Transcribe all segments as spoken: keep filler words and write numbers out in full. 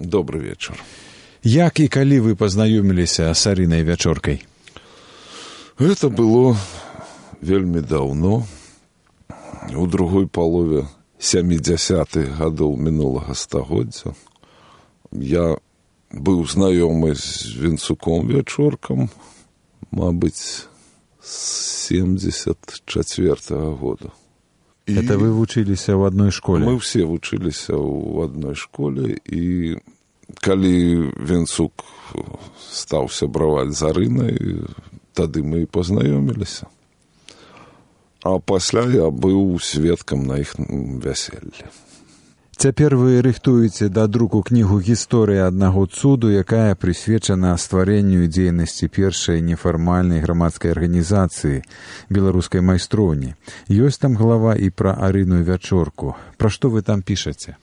Добрый вечер. Як і калі вы пазнаёміліся з Арынай Вячоркай? Это было вельмі даўно, у другой палове сямідзясятых гадоў мінулага стагоддзя. Я быў знаёмы з Вінцуком Вячоркам, мабыць, з семдзесят чацвёртага года. Это вы вучыліся ў адной школе? Мы ўсе вучыліся ў адной школе, і калі Вінцук стаў сябраваць з Арынай, тады мы і пазнаёміліся. А пасля я быў сведкам на іх вяселлі. Цяпер вы рыхтуеце да друку кнігу «Гісторыя аднаго цуду», якая прысвечана стварэнню і дзейнасці першай нефармальнай грамадскай арганізацыі беларускай майстроўні. Ёсць там глава і пра Арыну Вячорку. Пра што вы там пішаце?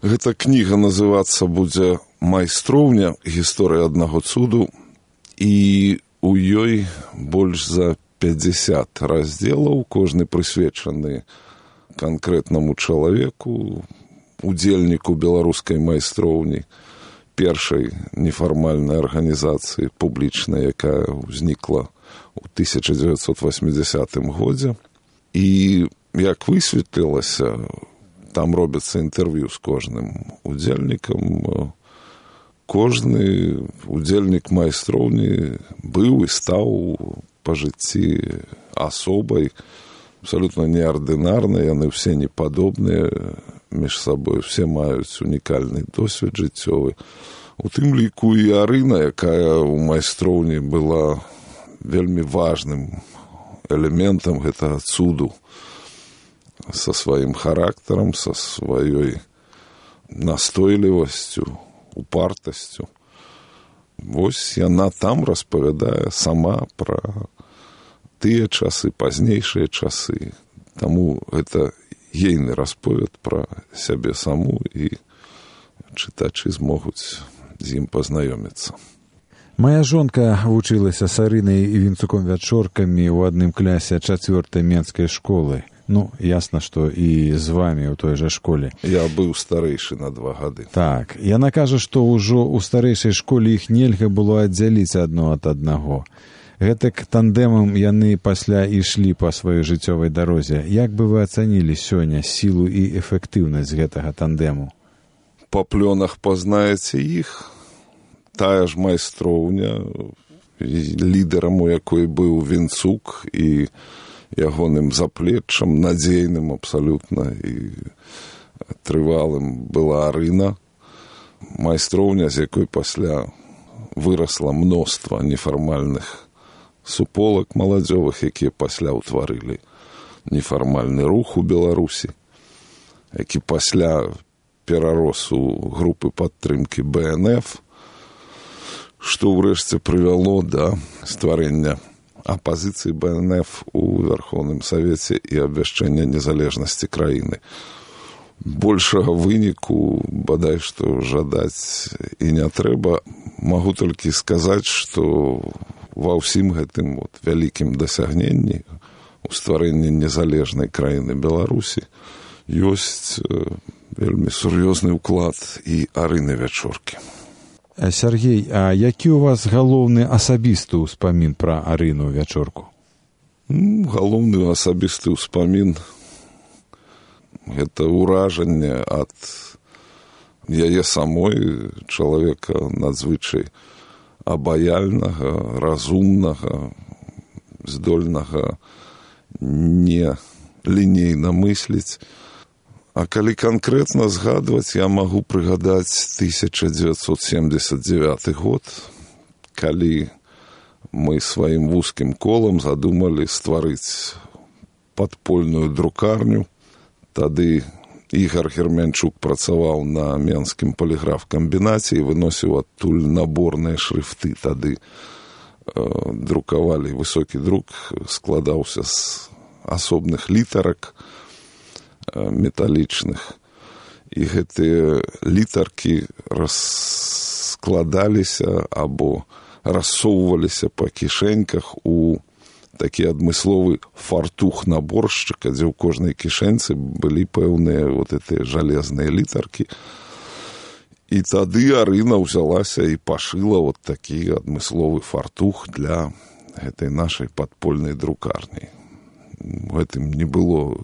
Гэта кніга называцца будзе «Майстроўня. Гісторыя аднаго цуду», і у ёй больш за пятьдесят раздзелаў, кожны прысвечаны канкрэтнаму чалавеку, удзельніку беларускай майстроўні, першай нефармальнай арганізацыі публічнай, якая ўзнікла ў тысяча дзевяцьсот восьмідзясятым годзе. І як высветлілася, там робяцца інтэрв'ю з кожным удзельнікам. Кожны удзельнік майстроўні быў і стаў па жыцці асобай, абсалютна неардынарнай, яны ўсе непадобныя між сабой, все маюць унікальны досвед жыццёвы. У тым ліку і Арына, якая ў майстроўні была вельмі важным элементам гэтага цуду, са сваім характарам, са сваёй настойлівасцю, упартасцю. Вось яна там распавядае сама пра тыя часы, пазнейшыя часы. Таму гэта ейны расповед пра сябе саму, і чытачы змогуць з ім пазнаёміцца. Мая жонка вучылася з Арынай і Вінцуком Вячоркамі ў адным клясе чацвёртай менскай школы. Ну, ясна, што і з вамі ў той жа школе. Я быў старэйшы на два гады. Так, яна кажа, што ўжо ў старэйшай школе іх нельга было аддзяліць адно ад аднаго. Гэтак тандэмам яны пасля ішлі па сваёй жыццёвай дарозе. Як бы вы ацанілі сёння сілу і эфектыўнасць гэтага тандэму? Па плёнах пазнаеце іх. Тая ж майстроўня, лідарам у якой быў Вінцук, і ягоным заплеччам, надзейным абсалютна і трывалым была Арына. Майстроўня, з якой пасля вырасла мноства нефармальных суполак маладзёвых, якія пасля ўтварылі нефармальны рух у Беларусі, які пасля перарос у групы падтрымкі бэ эн эф, што ўрэшце прывяло да стварэння апазіцыі бэ эн эф у Верховным Савеце і абвяшчэння незалежнасці краіны. Большага выніку, бадай што, жадаць і не трэба. Магу толькі сказаць, што ва ўсім гэтым вот вялікім дасягненні у стварэнні незалежнай краіны Беларусі ёсць вельмі сур'ёзны ўклад і Арыны Вячоркі. Сергей, а які ў вас галоўны асабісты ўспамін пра Арыну Вячорку? Ну, галоўны асабісты ўспамін – гэта ўражанне ад яе самой, чалавека надзвычай абаяльнага, разумнага, здольнага не лінейна мысліць. А калі канкрэтна згадваць, я магу прыгадаць тысяча дзевяцьсот семдзесят дзевяты год, калі мы сваім вузкім колам задумалі стварыць падпольную друкарню. Тады Ігар Герменчук працаваў на Менскім паліграф-камбінаце і выносіў адтуль наборныя шрыфты. Тады э, друкавалі, высокі друк складаўся з асобных літарак металічных, і гэтыя літаркі раскладаліся або рассоўваліся па кішэньках у такі адмысловы фартух наборшчыка, дзе ў кожнай кішэнцы былі пэўныя вот гэтыя жалезныя літаркі. І тады Арына ўзялася і пашыла вот такі адмысловы фартух для гэтай нашай падпольнай друкарні. У гэтым не было,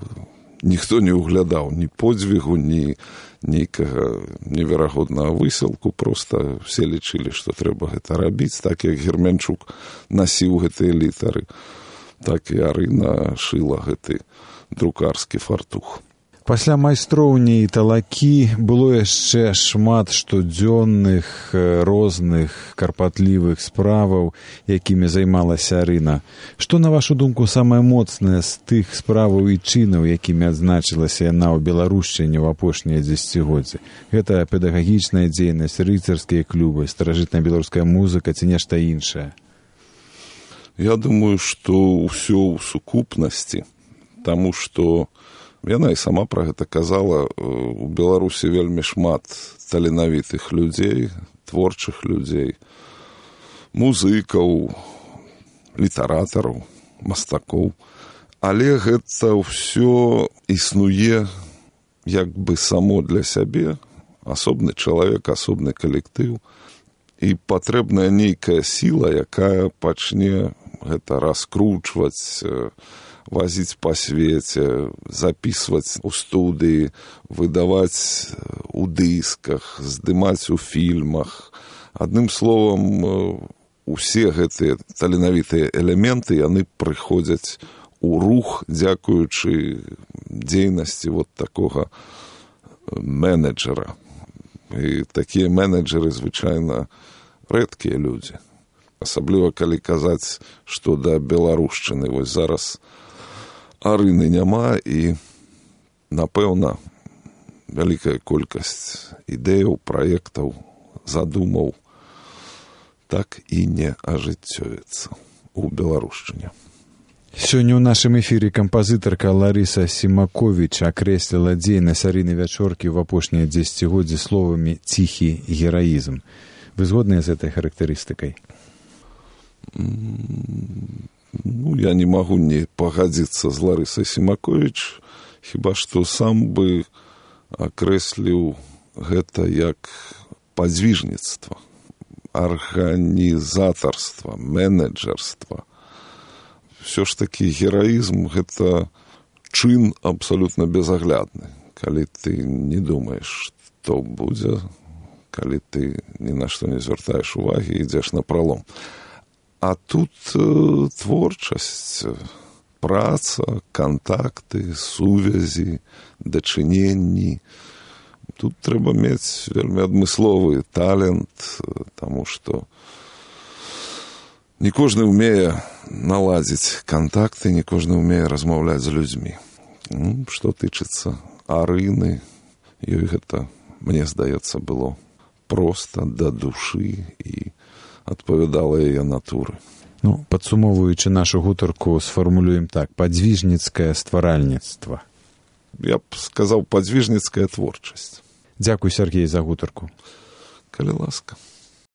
ніхто не углядаў ні подзвігу, ні нейкага неверагоднага высілку, проста все лічылі, што трэба гэта рабіць, так як Герменчук насіў гэтыя літары, так і Арына шыла гэты друкарскі фартух. Пасля майстроўні і талакі было яшчэ шмат штодзённых, розных, карпатлівых справаў, якімі займалася Арына. Што, на вашу думку, самае моцнае з тых справаў і чынаў, якімі адзначылася яна ў Беларушчыне ў апошнія дзесяцігоддзі? Гэта педагагічная дзейнасць, рыцарскія клубы, старажытная беларуская музыка ці нешта іншае? Я думаю, што ўсё ў сукупнасці, таму што яна і сама пра гэта казала, у Беларусі вельмі шмат таленавітых людзей, творчых людзей, музыкаў, літаратараў, мастакоў. Але гэта ўсё існуе як бы само для сябе, асобны чалавек, асобны калектыў, і патрэбная нейкая сіла, якая пачне гэта раскручваць, возіць па свеце, записываць у студыі, выдаваць у дысках, здымаць у фільмах. Адным словам, усе гэтыя таленавітыя элементы, яны прыходзяць у рух, дзякуючы дзейнасці вот такога менеджера. І такія менеджеры звычайна рэдкія людзі. Асабліва, калі казаць, што да беларушчыны вось зараз Арыны няма, і, напэўна, вялікая колькасць ідэяў, праектаў, задумаў так і не ажыццёвіцца ў Беларушчыне. Сёння ў нашым эфіры кампазітарка Ларыса Сімаковіч акрэсліла дзейнасць Арыны Вячоркі ў апошнія дзесяцігоддзі словамі «ціхі гераізм». Вы згодныя з гэтай характарыстыкай? Ну, я не магу не пагадзіцца з Ларысай Сімаковіч, хіба што сам бы акрэсліў гэта як падзвіжніцтва, арганізатарства, менеджерства. Всё ж такі гераізм – гэта чын абсалютна безаглядны, калі ты не думаеш, што будзе, калі ты ні на што не звяртаеш увагі, ідзеш на пралом. А тут э, творчасць, праца, кантакты, сувязі, дачыненні. Тут трэба мець вельмі адмысловы талент, таму што не кожны ўмее наладзіць кантакты, не кожны ўмее размаўляць з людзьмі. Ну, што тычыцца Арыны, ёй гэта, мне здаецца, было проста да душы і адпавядала яе натуры. Ну, падсумоўваючы нашу гутарку, сфармулюем так: падзвіжніцкае стваральніцтва. Я б сказаў, падзвіжніцкая творчасць. Дзякуй, Сергей, за гутарку. Калі ласка.